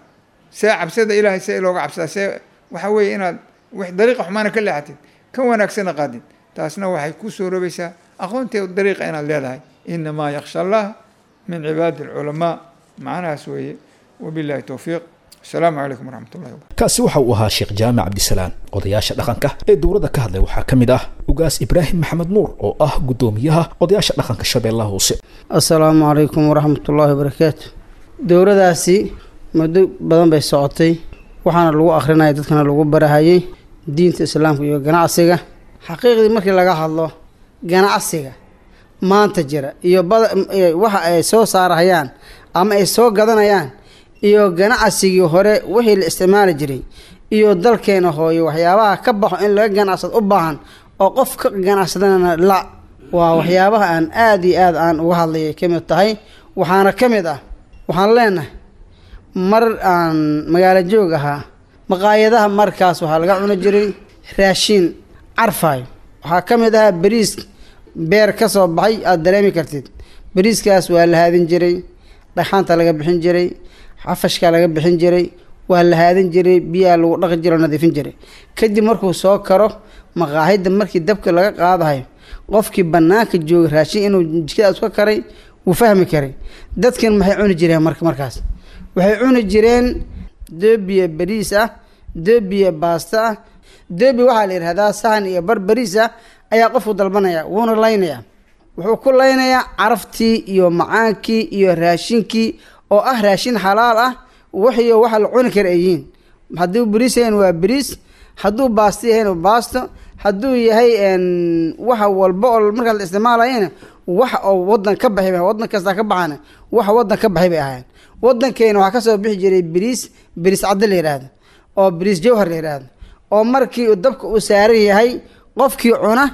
see cabsada Ilaahay see looga cabsadaa? See waxa weeye inaad w dariiqa xumaana ka leexatid, ka wanaagsana qaadid. Taasna waxay ku soo robaysaa aqoonteeda dariiqa inaad leedahay. Inamaa yakhsha allaha min cibaadi alculamaa, macnahaas weeye. Wabillahi towfiiq. Asalaamu calaykum waraxmat ullahi wabarakatu. Kaasi waxa uu ahaa Sheekh Jaamic Cabdisalaan. Odayaasha dhaqanka ee dowladda ka hadlay waxaa ka mid ah Ugaas Ibraahim Maxamed Nuur oo ah guddoomiyaha odayaasha dhaqanka Shabeellaha Hoose. Assalaamu calaykum waraxmatullaahi wabarakaatu. Dowladaasi muddo badan bay socotay, waxaana lagu akhrinaya dadkana lagu barahayay diinta islaamka iyo ganacsiga. Xaqiiqdii markii laga hadlo ganacsiga maanta jira iyo bada waxa ay soo saarahayaan ama ay soo gadanayaan iyo ganacsigii hore wixii la isticmaali jiray iyo dalkeena hooyo waxyaabaha ka baxo in laga ganacsado u baahan oo qof ka ganacsadana la waa waxyaabaha aan aada iyo aad aan uga hadlayay ka mid tahay. Waxaana ka mid ah, waxaan leenahay, mar aan magaalo joog ahaa maqaayadaha markaas waxaa laga cuni jiray raashiin carfaayo. Waxaa ka mid ahaa bariis beer ka soo baxay, aada dareemi kartid. Bariiskaas waa la haadin jiray, dhagxaanta laga bixin jiray, xafashka laga bixin jiray, waa la haadin jiray, biyaha lagu dhaqi jiray oo nadiifin jiray. Kadib markuu soo karo maqaahida, markii dabka laga qaadahayo, qofkii banaanka joogay raashin inuu jikadaas ka karay wuu fahmi karay. Dadkan maxay cuni jireen marka? Markaas waxay cuni jireen doobiya bariis ah, doobiya baasta ah. Doobi waxaa la yidhahdaa sahan iyo bar bariis ah ayaa qofku dalbanaya, wuuna laynayaa. Wuxuu ku laynayaa caraftii iyo macaankii iyo raashinkii oo ah raashin xalaal ah, wixiyo waxa la cuni kara ay yihiin. Hadduu bariis yahayn waa bariis, hadduu baasto yahayn waa baasto, hadduu yahay waxa walba oo markaas la isticmaalayana wax oo wadan ka baxay, wadan kasta ka baxana wax wadan ka baxay bay ahaayeen. Wadankeena waxaa kasoo bixi jiray bariis, bariis cadde la yidhaahdo oo bariis jawhar la yidhaahdo, oo markii uu dabka uu saaran yahay qofkii cuna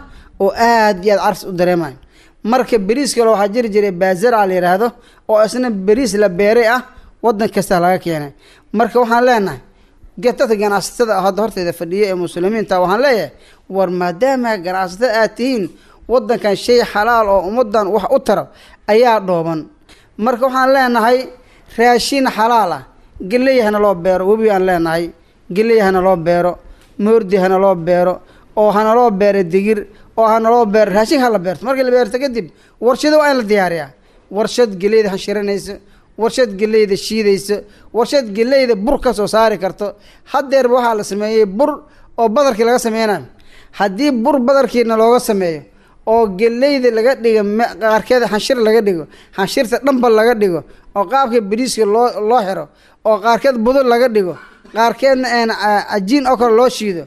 oo aad iyo aad carfis u dareemayo. Marka bariis kale waxaa jiri jiray baazara la yidhaahdo oo isna bariis la beeray ah, wadan kasta laga keenay. Marka waxaan leenahay dadka ganacsatada hadda horteeda fadhiya ee muslimiinta, waxaan leeyahay, war maadaama ganacsatada aad tihiin, wadankan shay xalaal oo ummadan wax u tara ayaa dhooban. Marka waxaan leenahay Raashin xalaal ah, geley hana loo beero, webi aan leenahay, geley hana loo beero, moordi hana loo beero, oo hana loo beero digir, oo hana loo beero raashin hala beerto. Markii la beerto kadib warshado waa in la diyaariyaa, warshad geleyda hanshiranayso, warshad geleyda shiidayso, warshad geleyda bur ka soo saari karto. Haddeerba waxaa la sameeyey bur oo badarkii laga sameynayo. Haddii bur badarkiina looga sameeyo oo geleyda laga dhigo, qaarkeeda xanshir laga dhigo, xanshirta dhanba laga dhigo, oo qaabka bariiska loo xiro, oo qaarkeed budul laga dhigo, qaarkeedna cajiin oo kale loo shiido,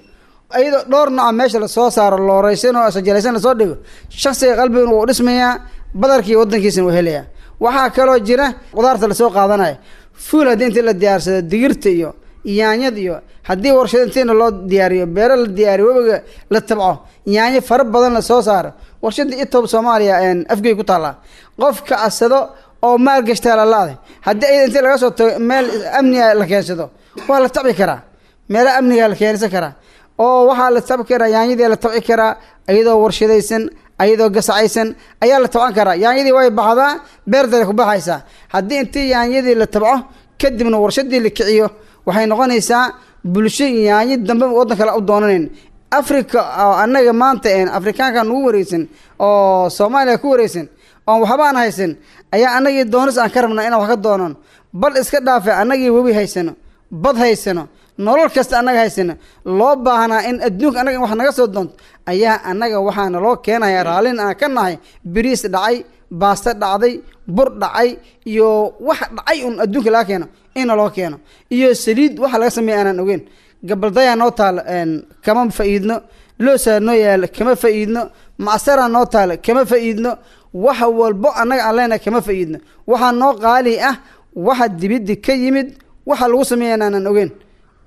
iyadoo dhowr nooca meesha lasoo saaro, looreysan oo sajalaysan lasoo dhigo, shaksiga qalbiguna wuu dhismayaa, badarkii wadankiisana wuu helayaa. Waxaa kaloo jira qudaarta lasoo qaadanayo, fuul haddii intii la diyaarsado, digirta iyo yaanyad iyo haddii warshado intiina loo diyaariyo, beero la diyaariyo, webiga la tabco, yaanyo fara badan lasoo saaro. Warshada Etob Soomaaliya Afgey ku taallaa, qofka asado oo maalgashtaa lalaada, haddii ayada intii laga soo tago meel amniga la keensado, waa la tabci karaa, meelaha amniga la keensan karaa, oo waxaa la tabci karaa yaanyadii la tabci karaa, iyadoo warshadaysan, ayadoo gasacaysan ayaa la tabcan karaa. Yaanyadii way baxdaa, beerdare ku baxaysaa. Haddii intii yaanyadii la tabco kadibna warshadii la kiciyo, waxay noqonaysaa bulsho yaanyo dambe waddan kale u doonanayn. Africa oo annaga maanta Afrikaanka nagu wareegsan oo Soomaaliya ku wareegsan oon waxba aan haysan, ayaa annagii doonis aan ka rabnaa inaan wax ka doonan. Bal iska dhaafe, annagii webi haysano, bad haysano, nolol kasta annaga haysano, loo baahnaa in adduunka annaga in wax naga soo doonto, ayaa annaga waxaana loo keenaya raallin aan ka nahay bariis dhacay, baasto dhacday, bur dhacay iyo wax dhacay un adduunka laga keeno ina loo keeno, iyo saliid waxa laga sameeya aanaan ogeyn. Gabaldayaa noo taalo, kama fa'iidno. Loosaa noo yaalo, kama fa'iidno. Macsaraa noo taalo, kama fa'iidno. Wax walbo annaga aan leenahay kama fa'iidno. Waxaa noo qaali ah waxa dibiddi ka yimid, waxa lagu sameeya aanaan ogeyn,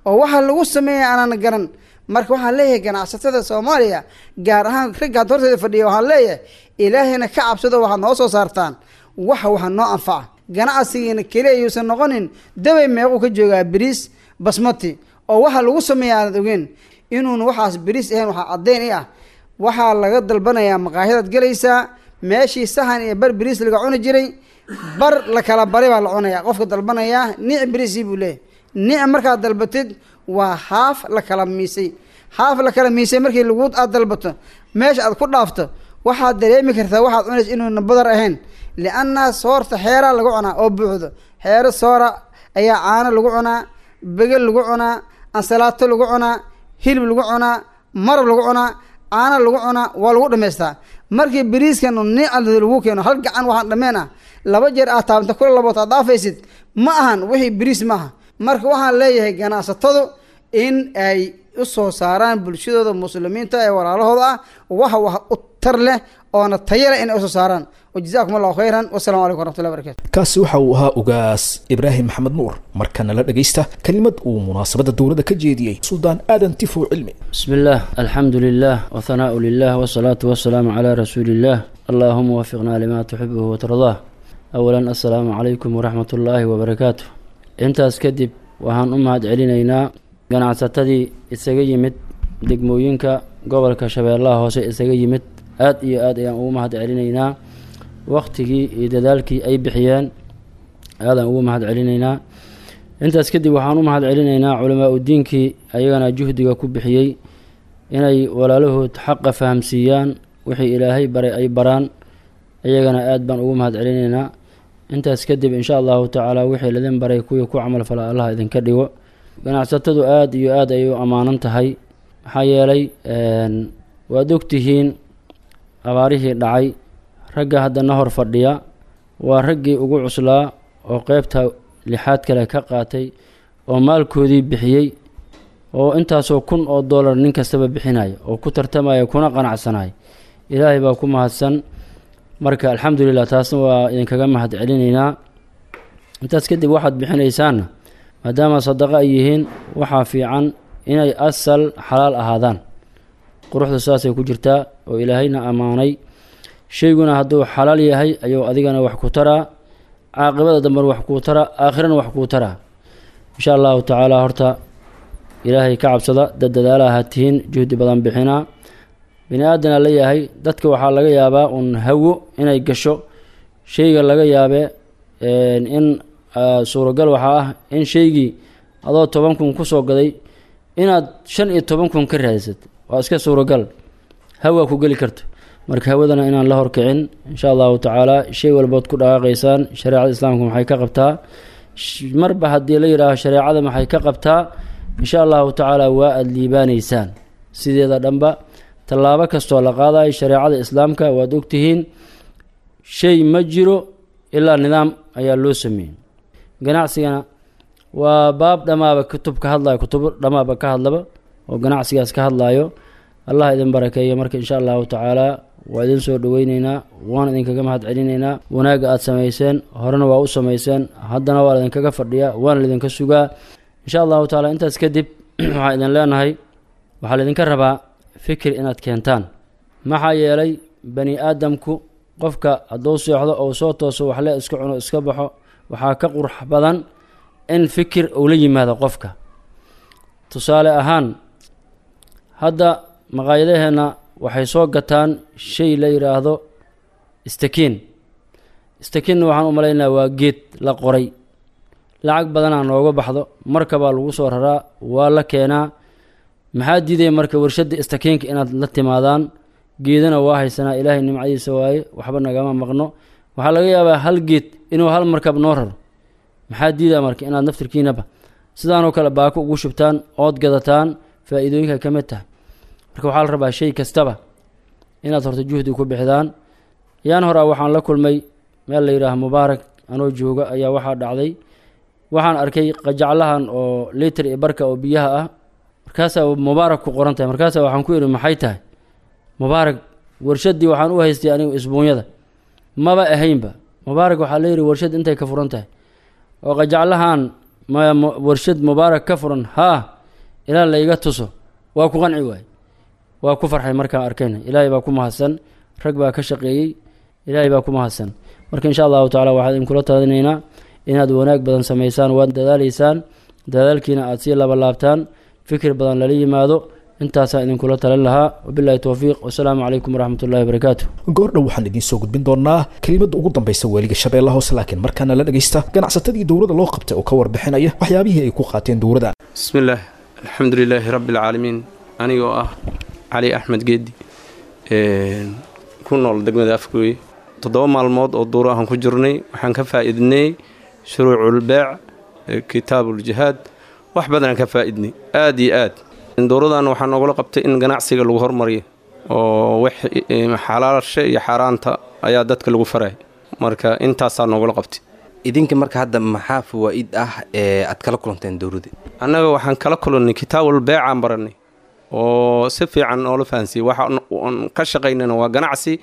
oo waxa lagu sameeya aanaan garan. Marka waxaan leeyahay ganacsatada Soomaaliya, gaar ahaan ragga had horteeda fadhiya, waxaan leeyahay Ilaahayna ka cabsado, waxaad noo soo saartaan waxa noo anfaca. Ganacsigiina keliya yuusan noqonin dabay meequu ka joogaa bariis basmati oo waxa lagu sameeya aanad ogeyn. Inuun waxaas bariis ahayn waxaa caddeyn i ah, waxaa laga dalbanayaa maqaahidaad gelaysaa, meeshii saxan iyo bar bariis laga cuni jiray, bar la kala baray baa la cunayaa. Qofka dalbanayaa nic bariisii buu leeyahay. Nic markaad dalbatid waa haaf la kala miisay, haaf la kala miisay. Markii lagu aad dalbato, meesha aad ku dhaafto, waxaad dareemi kartaa waxaad cunaysa inuuna badar ahayn, lianna soorta xeeraa lagu cunaa oo buuxdo. Xeero soora ayaa caano lagu cunaa, begel lagu cunaa, ansalaato lagu cunaa, hilib lagu cunaa, marab lagu cunaa, caano lagu cunaa, waa lagu dhamaystaa. Markii bariiskan nica lagu keeno hal gacan waxaan dhameen ah, laba jeer aad taabanta kula labood aad dhaafaysid, ma ahan wixii bariis maaha. Marka waxaan leeyahay ganacsatadu in ay u soo saaraan bulshadooda muslimiinta ee walaalahooda ah wax u tar leh oona tayo leh inay usoo saaraan. Wajazaakum Allahu khayran, wasalaamu calaykum waraxmatullahi barakatu. Kaasi waxa uu ahaa Ugaas Ibraahim Maxamed Nuur. Markana la dhagaysta kelimad uu munaasabadda dowladda ka jeediyey Suldaan Aadan Tifow Cilmi. بسم الله، الحمد لله، وثناء لله، والصلاة والسلام على رسول الله، اللهم وفقنا لما تحبه وترضاه. أولا، السلام عليكم ورحمة الله وبركاته. Intaas kadib, waxaan u mahad celinaynaa ganacsatadii isaga yimid degmooyinka gobolka Shabeellaha Hoose isaga yimid. Aad iyo aad ayaan ugu mahad celinaynaa waqtigii iyo dadaalkii ay bixiyeen, aadaan ugu mahad celinaynaa. Intaas kadib, waxaan u mahad celinaynaa culamaa udiinkii ayagana juhdiga ku bixiyey inay walaalahood xaqa fahamsiiyaan, wixii Ilaahay baray ay baraan, ayagana aad baan ugu mahad celinaynaa. Intaas kadib, insha Allahu tacaala, wixii lidin baray kuwii ku camal fala Allah idinka dhigo. Ganacsatadu aada iyo aad ayay u ammaanan tahay, maxaa yeelay waad ogtihiin abaarihii dhacay. Ragga haddana hor fadhiya waa raggii ugu cuslaa oo qeybta lixaad kale ka qaatay oo maalkoodii bixiyey, oo intaasoo kun oo dollar nin kastaba bixinaya oo ku tartamaya kuna qanacsanaya. Ilaahay baa ku mahadsan. Marka alxamdulilah, taasna waa idinkaga mahad celinaynaa. Intaas kadib, waxaad bixinaysaanna maadaama sadaqo ay yihiin, waxaa fiican inay asal xalaal ahaadaan. Quruxda saasay ku jirtaa oo Ilaahayna ammaanay. Shayguna hadduu xalaal yahay ayuu adigana wax ku taraa, caaqibada dambena wax kuu taraa, aakhirana wax kuu taraa, insha Allahu tacaala. Horta Ilaahay ka cabsada, dad dadaalaha tihiin, juhdi badan bixinaa. Bini aadana la yahay, dadka waxaa laga yaabaa uun hawo inay gasho shayga, laga yaabe in Suuragal waxaa ah in shaygii adoo 10,000 kusoo gaday inaad 15,000 ka raadisat, waa iska suuragal, hawaa ku geli karto. Marka hawadana inaan la horkicin insha allahu tacaala. Shay walbood ku dhaqaaqaysaan shareecada islaamka maxay ka qabtaa? Marba haddii la yidhaaho shareecada maxay ka qabtaa, insha allahu tacaala waa aada liibaanaysaan. Sideeda dhanba tallaabo kastoo la qaadayo shareecada islaamka waad ogtihiin, shay ma jiro ilaa nidaam ayaa loo sameeyey. Ganacsigana waa baab dhammaaba kutub ka hadlayo, kutubo dhammaaba ka hadlaba oo ganacsigaas ka hadlayo. Allah idin barakeeyo. Marka insha allahu tacaala waa idin soo dhaweyneynaa, waan idinkaga mahad celinaynaa wanaagga aada samayseen. Horena waa u samayseen, haddana waa laidinkaga fadhiyaa, waana laidinka sugaa insha allahu tacaala. Intaas kadib waxaa idin leenahay, waxaa laidinka rabaa fikir inaad keentaan. Maxaa yeelay bani aadamku qofka hadduu seexdo ou soo tooso waxle iska cuno iska baxo, waxaa ka qurux badan in fikir uu la yimaado qofka. Tusaale ahaan, hadda maqaayadaheenna waxay soo gataan shay la yidhaahdo istakiin. Istakiinna waxaan u malaynayaa waa geed la qoray, lacag badanaa nooga baxdo, markabaa lagu soo raraa, waa la keenaa. Maxaa diidaya marka warshadda istakiinka inaad la timaadaan? Geedana waa haysanaa, ilaahay nimcadiisa waaye, waxba nagama maqno. Waxaa laga yaabaa hal geed inuu hal markab noo raro. Maxaa diidaa marka inaad naftirkiinaba sidaanoo kale baako ugu shubtaan ood gadataan? Faa-iidooyinka ka mid tahay. Marka waxaa la rabaa shay kastaba inaad horta juhdi ku bixdaan. Yaan horaa waxaan la kulmay meel la yidhaaha Mubaarak anoo jooga ayaa waxaa dhacday, waxaan arkay qajaclahan oo litir iyo barka oo biyaha ah, markaasaa Mubaarak ku qoran tahay. Markaasaa waxaan ku idhi, maxay tahay Mubaarak? Warshaddii waxaan u haystay anigu isbuunyada, maba ahaynba Mubaarak. Waxaa la yidhi warshad intay ka furan tahay oo qajaclahan warshad Mubaarak ka furan, haa, ilaa layga tuso waa ku qanci waay. Waa ku farxay markaan arkayna. Ilaahay baa ku mahadsan, rag baa ka shaqeeyey, ilaahay baa ku mahadsan. Marka insha allahu tacala waxaan idinkula talinaynaa inaad wanaag badan samaysaan, waad dadaalaysaan, dadaalkiina aada sii labalaabtaan, fikir badan lala yimaado. Intaasaa idinkula talin lahaa. Wabillahi towfiiq, wasalaamu calaykum waraxmat ullahi wabarakaatu. Goordhow waxaan idiin soo gudbin doonaa kelimadda ugu dambaysa waaliga Shabeellaha Hoose, laakiin markaana la dhagaysta ganacsatadii dowladda loo qabtay oo ka warbixinaya waxyaabihii ay ku qaateen dowladda. Bismillaah, alxamdu lilaahi rabbi alcaalamiin. Anigoo ah Cali Axmed Geedi, ku nool degmada Afgooye, 7 maalmood oo duuro ahaan ku jirnay waxaan ka faa'iidnay shuruuculbeec, kitaabuljihaad, wax badanaan ka faa'iidnay aad iyo aad. Dowradan waxaa noogula qabtay in ganacsiga lagu hormariyo oo wax xalaasha iyo xaaraanta ayaa dadka lagu faray. Marka intaasaa noogula qabtay. Idinka marka hadda maxaa fawaa'id ah ee aad kala kulanteen dowladda? Annaga waxaan kala kulannay kitaabul beecaan barannay oo si fiican noola fahansiiyey. Waxa ka shaqaynana waa ganacsi,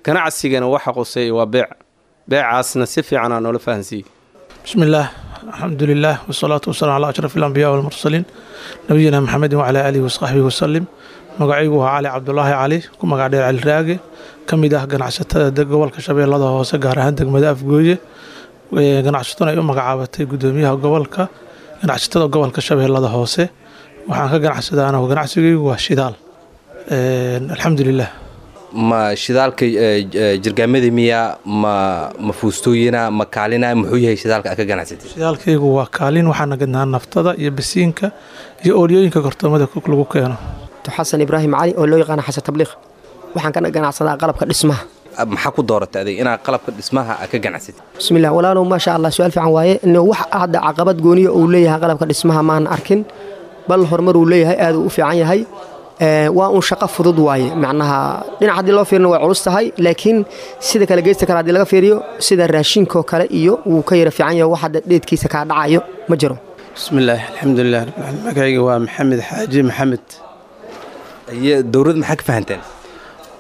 ganacsigana waxa qoseeya waa beec, beecaasna si fiicanaa noola fahansiiyey. Bismillaah, alxamdu lilah, wasalaatu wasalam calaa ashraf alambiyaa walmursaliin, nabiyina Maxamedin wacalaa aalihi wasaxbihi wasalim. Magacaygu waa Cali Cabdulaahi Cali, ku magac dheer Cali Raage, ka mid ah ganacsatada gobolka Shabeellada Hoose, gaar ahaan degmada Afgooye. Ganacsataduna ay u magacaabatay gudoomiyaha gobolka ganacsatada gobolka Shabeellada Hoose. Waxaan ka ganacsadaa anagu, ganacsigaygu waa shidaal, alxamdulilah. Ma shidaalka jirgaamada miya, ma fuustooyina, ma kaalina, muxuu yahay shidaalka aad ka ganacsatay? Shidaalkaygu waa kaalin. Waxaana gadnaa naftada iyo basiinka iyo oolyooyinka kartoomada lagu keeno. Xasan Ibraahim Cali oo loo yaqaana Xasan Tabliiq, waxaan ka ganacsadaa qalabka dhismaha. Maxaa ku dooratay adig inaad qalabka dhismaha aad ka ganacsatid? Bismillah walaalow, maasha Allah, su-aal fiican waaye. Wax hadda caqabad gooniya uu leeyahay qalabka dhismaha maan arkin, bal horumar uu leeyahay, aad uu u fiican yahay. Waa un shaqo fudud waaye. Macnaha dhinac haddii loo fiirino way culus tahay, laakiin sida kale geysta kale haddii laga fiiriyo, sida raashinkoo kale iyo wuu ka yara fiican yahay, wax hadda dheedkiisa kaa dhacayo ma jiro. Bismillaah, alxamdulilah rabbil caalamiin. Magacayga waa Maxamed Xaaji Maxamed. Dowladda maxaa ka fahanteen?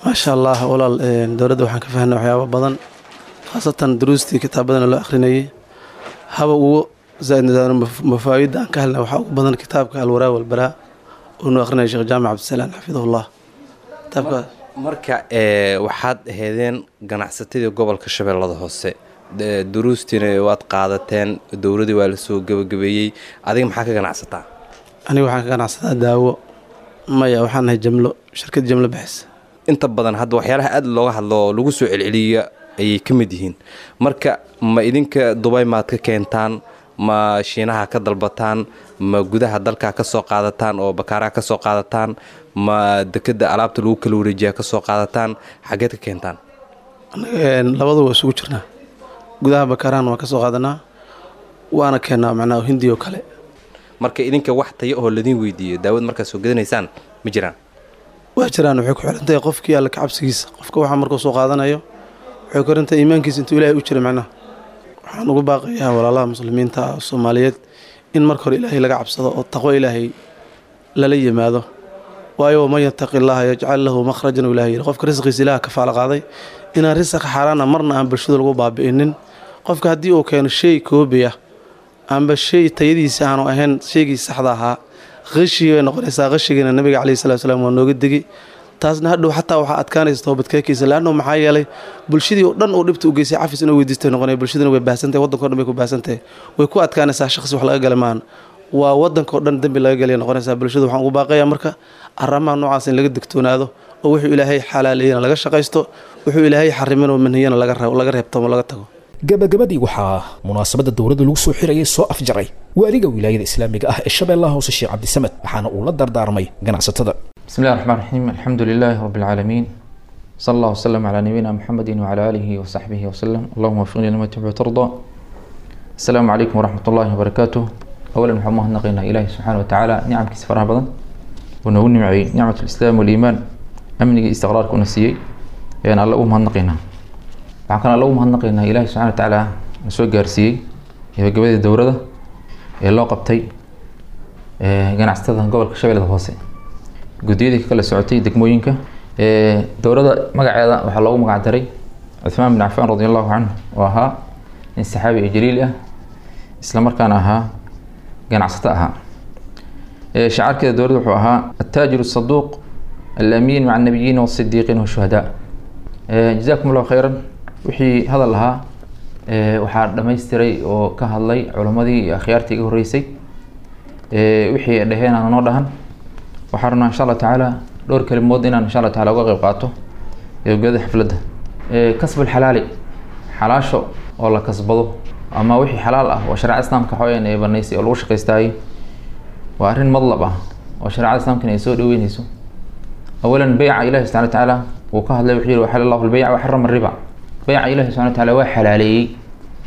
Maasha Allah walaal, dowladda waxaan ka fahnay waxyaabo badan, khaasatan duruustii kitaabadana loo akhrinayay. Haba ugu zaa'id mafaa'ida aan ka helnay waxaa ugu badan kitaabka Alwaraa Walbaraa oo noo akhrinaya Sheekh Jaamac Cabdisalaan xafidahullah. Kitaabka Marka waxaad aheedeen ganacsatadii gobolka Shabeellada Hoose, duruustiina waad qaadateen, dowladii waa la soo gebagabeeyey. Adiga maxaa ka ganacsataa? Aniga waxaan ka ganacsataa daawo. Maya, waxaan nahay jamlo, shirkad jamlo bixis. Inta badan hadda waxyaalaha aad looga hadlo oo lagu soo celceliya ayay ka mid yihiin. Marka ma idinka Dubay maad ka keentaan, ma Shiinaha ka dalbataan, ma gudaha dalka ka soo qaadataan oo bakaaraha ka soo qaadataan, ma dekeda alaabta lagu kala wareejiyaa ka soo qaadataan, xageed ka keentaan? Labadu waa isugu jirnaa. Gudaha bakaarahan waan ka soo qaadanaa, waana keennaa macnaha Hindi oo kale. Marka idinka wax tayo oo ladin weydiiyo daawad markaad soo gadanaysaan ma jiraan? Waa jiraan. Waxay ku xirantahay qofkii Alle ka cabsigiisa. Qofka waxaa markuu soo qaadanayo waxay ku xirantahay iimaankiisa intuu Ilaahay u jira macnaha. Waxaan ugu baaqayaa walaalaha muslimiinta ah Soomaaliyeed in marka hore Ilaahay laga cabsado oo taqwo Ilaahay lala yimaado, waayo waman yattaqi Allaha yajcal lahu makhrajan. Ilaahay yidhi qofka risqiisa Ilaah kafaala qaaday inaan risaq xaaraana marna aan bulshada lagu baabi'inin. Qofka haddii uu keeno shay koobiya amba shay tayadiisa aanu ahayn shaygii saxda ahaa, qashii bay noqonaysaa. Qashigiina Nabiga caleyhi salatu salaam waa nooga degi. Taasna hadhow xataa waxaa adkaanaysa toobadkeekiisa, laanno maxaa yeelay bulshadii oo dhan uu dhibta u geysay cafis inuu weydiistay noqonaya. Bulshaduna way baahsantahay, waddanka o dhan bay ku baahsantahay, way ku adkaanaysaa. Shakhsi wax laga gala maahan, waa waddanka oo dhan dembi laga galaya noqonaysaa. Bulshada waxaan ugu baaqayaa marka arrimaha noocaas in laga digtoonaado oo wuxuu Ilaahay xalaaleeyana laga shaqaysto, wuxuu Ilaahay xarimin oo manhiyana laga reebtamo, laga tago. Gabagabadii waxaa munaasabadda dowladda lagu soo xirayay soo afjaray waaliga Wilaayada Islaamiga ah ee Shabeellaha Hoose, Sheekh Cabdisamed, waxaana uu la dardaarmay ganacsatada. بسم الله الرحمن الرحيم، الحمد لله رب العالمين، صلى الله وسلم على نبينا محمد وعلى آله وصحبه وسلم، اللهم وفقنا لما تحب وترضى. السلام عليكم ورحمة الله وبركاته. أولا waxaan mahadnaqaynaa Ilaahi subxaana wa tacaala nicamkiisa faraha badan oo noogu nimceeyey nicmat lislaam waliimaan, amniga iyo istiqraarka una siiyey ayaan Alle ugu mahadnaqaynaa. Waxaan kaloo Alle ugu mahadnaqaynaa Ilaahi subxaana wa tacaala na soo gaarsiiyey gabagabadii dowrada ee loo qabtay ganacsatada gobolka Shabeellada Hoose, guddiyadii ka kala socotay degmooyinka. Dowladda magaceeda waxaa loogu magac daray Cuthmaan bin Cafaan radi Allahu canhu, oo ahaa nin saxaabi oo jaliil ah, isla markaana ahaa ganacsato ahaa. Shacaarkeeda dowladda wuxuu ahaa attaajiru saduuq alamiin maca annabiyiina wasidiiqiin washuhadaa. Jazakum Allahu khayran. Wixii hadal lahaa waxaa dhammaystiray oo ka hadlay culammadii iyo akhyaartii iga horreysay. Wixii ay dhaheen aan noo dhahan, waxaan rabnaa insha Allah tacaala dhowr kelimood inaan insha Allah taala uga qayb qaato gabagabada xafladda. Kasbul xalaali, xalaasho oo la kasbado ama wixii xalaal ah oo shareecada Islaamka waxaweyaan ay banaysay oo lagu shaqaystaayey, waa arrin madlab ah oo shareecada Islaamkana ay soo dhaweyneyso. Awalan, beyca Ilahi subxana wa tacaala wuu ka hadlay, wuxuu yihi waxala Allahu lbeyca waxarama riba. Beyca Ilahi subxana wa tacaala waa xalaaleeyey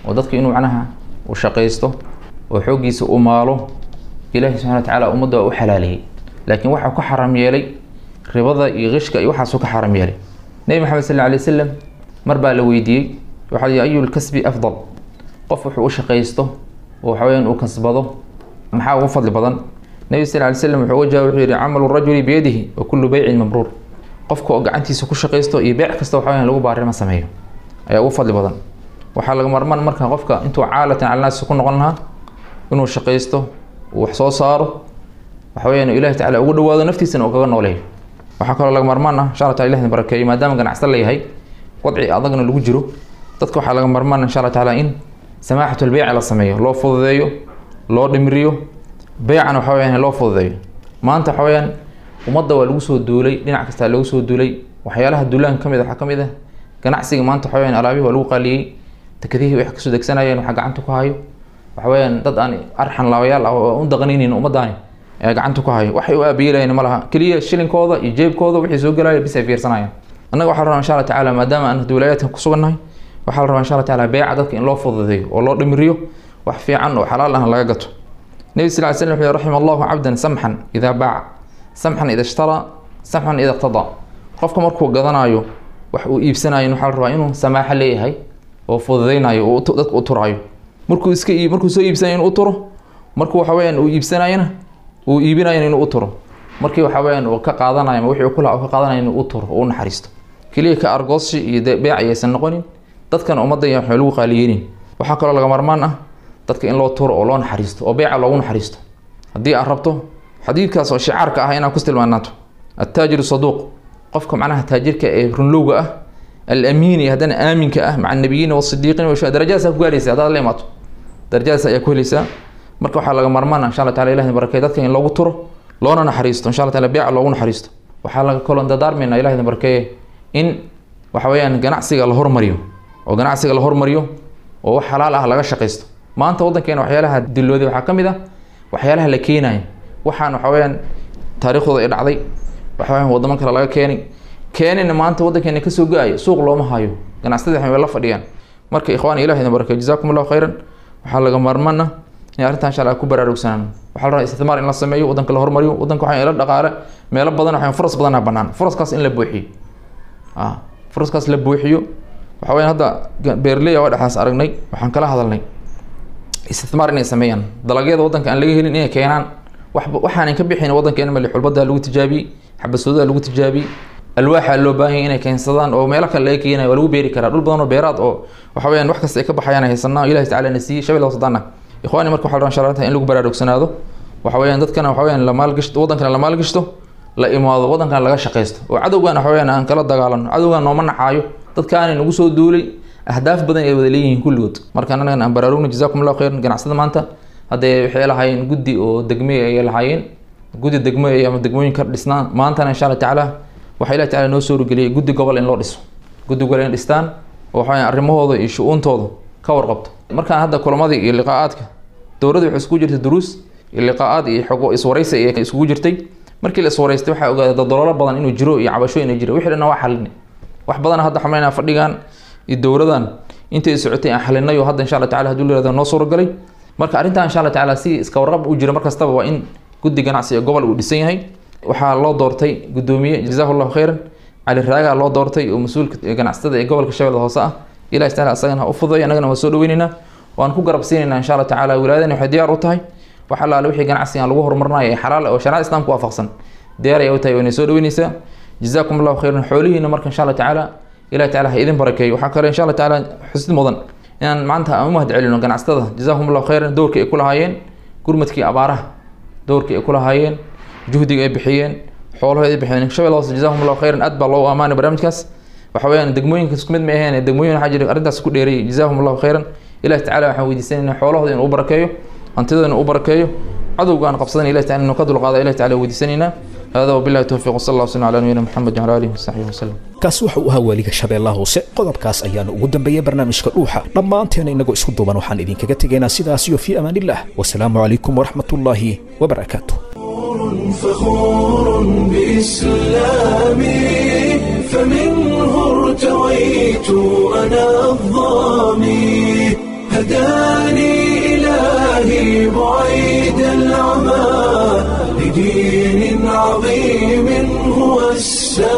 oo dadka inuu macnaha uu shaqaysto oo xooggiisa u maalo Ilahi subxana wa tacaala ummadda waa u xalaaleeyey, laakiin waxaa ka xaram yeelay ribada iyo qishka iyo waxaasuu ka xaram yeelay. Nebi Maxamed sal alla alay wasalam mar baa la weydiiyey, waxaa la yihi ayu lkasbi afdal, qof wuxuu u shaqaysto oo waxaweyaan uu kasbado maxaa ugu fadli badan? Nebi sal alay slam wuxuu uga jawaabay, wuxuu yihi camalu rajuli biyadihi wa kullu beycin mabruur. Qofka oo gacantiisa ku shaqaysto iyo beyc kasta waxaweyaan lagu baarima sameeyo ayaa ugu fadli badan. Waxaa laga marmaan marka qofka intuu caalatan cala naasi ku noqon lahaa inuu shaqaysto, uu wax soo saaro, waxa weyaan Ilahi tacala ugu dhawaado, naftiisana uu kaga nooleeyo. Waxaa kaloo laga marmaan ah insha Allah taala Ilahi barakeeyo, maadaama ganacsato la yahay wadci adagna lagu jiro, dadka waxaa laga marmaan insha Allah taala in samaaxatul beyc la sameeyo, loo fududeeyo, loo dhimriyo beycana, waxa weyaan loo fududeeyo. Maanta waxa weyaan ummadda waa lagu soo duulay, dhinac kastaa lagu soo duulay. Waxyaalaha duulaanka kamid ah waxaa kamid ah ganacsiga. Maanta waxa weyaan alaabihii waa lagu qaaliyey, dekadihii wax kasoo degsanayeen waxaa gacanta ku hayo waxa weyaan dad aan arxan laabayaal ah oo u daqanaynin ummaddaani ee gacanta ku hayo. Waxay u aabiyelayeen ma laha, keliya shilinkooda iyo jeebkooda wixii soo gelaya bis ay fiirsanayaan. Annaga waxaa la rabaa insha Allah tacaala, maadaama aan wilaayadkan ku sugannahay, waxaa la rabaa insha Allah tacaala beeca dadka in loo fududeeyo oo loo dhimriyo, wax fiican oo xalaal ahna laga gato. Nebi sal ly slam wuxuu yihi raxima Allahu cabdan samxan idaa baaca, samxan ida ishtara, samxan ida iqtadaa. Qofka markuu gadanayo wax uu iibsanayo waxaa la rabaa inuu samaaxo leeyahay oo fududeynayo oo dadka u turaayo. Markuu iska markuu soo iibsanayo inuu u turo, markuu waxa weyaan uu iibsanayona uu iibinayona inuu u turo, markii waxa weyaan uu ka qaadanayo ama wixii uu ku lahaa uu ka qaadanayo inuu u turo oo u naxariisto. Keliya ka argooshi iyo beec ayaysan noqonin, dadkan ummadda iyo waxay lagu qaaliyeynin. Waxaa kaloo laga marmaan ah dadka in loo turo oo loo naxariisto oo beeca loogu naxariisto. Haddii aad rabto xadiidkaas oo shicaarka ah inaad ku tilmaanaato attaajiru saduuq, qofka macnaha taajirka ee runlowga ah, alamiin iyo haddana aaminka ah, maca annabiyiina wasidiiqiin washuhada, darajadaas ku gaaraysa haddaad la imaato, darajadaas ayaa ku helaysaa. Marka waxaa laga marmaan ah insha Allah taala Ilahi barakeey dadka in loogu turo loona naxariisto insha Allah taala beeca loogu naxariisto. Waxaa laga kaloo dardaarmaynaa, Ilahi barakeeye, in waxa weeyaan ganacsiga la hormariyo. Oo ganacsiga la hormariyo oo wax xalaal ah laga shaqaysto. Maanta waddankeena waxyaalaha dilooday waxaa ka mid ah waxyaalaha la keenayo, waxaan waxa weeyaan taariikhdooda ay dhacday, waxa weeyaan waddamo kale laga keenay, keenina maanta waddankeena kasoo go-ayo, suuq looma hayo, ganacsatada waxay la fadhiyaan. Marka ikhwaan, ilaah idin barakeeyo, jazaakum allahu khayran. Waxaa laga maarmaan ah in arrintan insha Allah ku baraarugsanaan. Waxaa la rabaa isticmaar in la sameeyo, waddanka la hormariyo, waddanka waxaa ila dhaqaale meelo badan, waxaa furas badan bannaan, furaskaas in la buuxiyo, furaskaas la buuxiyo. Waxa weeyaan hadda beeraley waa dhexdaas aragnay, waxaan kala hadalnay isticmaar inay sameeyaan dalagyada waddanka aan laga helin inay keenaan, waxba waxaanan ka bixin waddankeena. Mali xulbada lagu tijaabiyey, xabasoodaa lagu tijaabiyey, alwaaxa loo baahan yahay inay keensadaan oo meelo kale laga keenayo, waa lagu beeri karaa dhul badan oo beeraad oo waxa weeyaan wax kasta ay ka baxayaan haysanaa, Ilahi tacaala na siiyey Shabeelle Hoose. Ikhwaani, marka waxaa la rabaa insha Allah in lagu baraarugsanaado, waxa weeyaan dadkana waxa weeyaan la maalgashto, waddankana la maalgashto, la imaado waddankana laga shaqaysto, oo cadowgan waxa weeyaan aan kala dagaalano. Cadowgan nooma naxaayo, dadkaani nagu soo duulay ahdaaf badan ay wada leeyihiin kulligood. Marka annagan aan baraarugno. Jazaakum allahu khayran. Ganacsada maanta haddee waxay lahaayeen guddi oo degme ayay lahaayeen, guddi degme ama degmooyin ka dhisnaa. Maantana insha Allah tacaala waxaa Ilahi tacaala noo suurgeliyay guddi gobol in loo dhiso, guddi gobol in dhistaan oo waxa weeyaan arrimahooda iyo shu-uuntooda ka warqabto. Markaan hadda kulamadii iyo liqaa'aadka dowladda waxay iskugu jirtay duruus iyo liqaa'aad iyo xogo iswaraysi ayay iskugu jirtay. Markii la iswaraystay waxaa ogaaday daldaloolo badan inuu jiro iyo cabasho inuu jiro, wixii dhanna waa xalinay. Wax badan hadda xamaynaa fadhigan iyo dowladan intay socotay aan xalinay, oo hadda insha Allah tacaala hadduu la yihahdo noo suuragalay. Marka arrintan insha Allah tacaala si iska warqab u jira mar kastaba waa in guddi ganacsi ee gobol uu dhisan yahay. Waxaa loo doortay guddoomiye, jazaahu allahu khayran, Cali Raagaa loo doortay oo mas-uulka ganacsatada ee gobolka Shabeellada Hoose ah. Ilahi tacaala asagana ha u fududeeyo, annagana waan soo dhaweynaynaa, waan ku garab siinaynaa insha Allah tacaala. Wilaayadani waxay diyaar u tahay wax allaale wixii ganacsigan lagu horumarinayo ee xalaal oo shariicada islaamka waafaqsan, diyaar ayay u tahay, wayna soo dhaweynaysaa. Jazaakum allahu khayran. Xoolihiina marka insha Allah tacaala Ilahi tacaala ha idin barakeeyo. Waxaa kale insha Allah tacaala xusid mudan inaan maanta aan u mahad celino ganacsatada, jazaahum allahu khayran, doorkii ay ku lahaayeen gurmadkii abaaraha, doorkii ay ku lahaayeen, juhdiga ay bixiyeen, xoolahooda ay bixiyeen Shabeelle Hoose. Jazaahum allahu khayran, aad baa loogu amaanay barnaamijkaas. Waxa weeyaan degmooyinka isku mid ma aheen, degmooyin waxaa jira arrintaas ku dheereeyay. Jazaahum allahu khayran. Ilahi tacaala waxaan weydiisanaynaa xoolahooda inuu u barakeeyo, hantidooda inuu u barakeeyo, cadowga aan qabsadan Ilahi taala inuu ka dulqaado Ilahi taala weydiisanaynaa. هذا وبالله التوفيق، وصلى الله وسلم على نبينا محمد وعلى اله وصحبه وسلم. Kaasi waxa uu ahaa waaliga Shabeellaha Hoose. Qodobkaas ayaanu ugu dambeeyey barnaamijka Dhuuxa. Dhammaanteena inagoo isku duuban waxaan idinkaga tegaynaa sidaas iyo fii amaanillah, wasalaamu calaykum waraxmatullaahi wabarakaatu. فخور بإسلامي، فمنه ارتويت أنا الظامي، هداني إلهي بعيد العمى لدين عظيم هو السامي.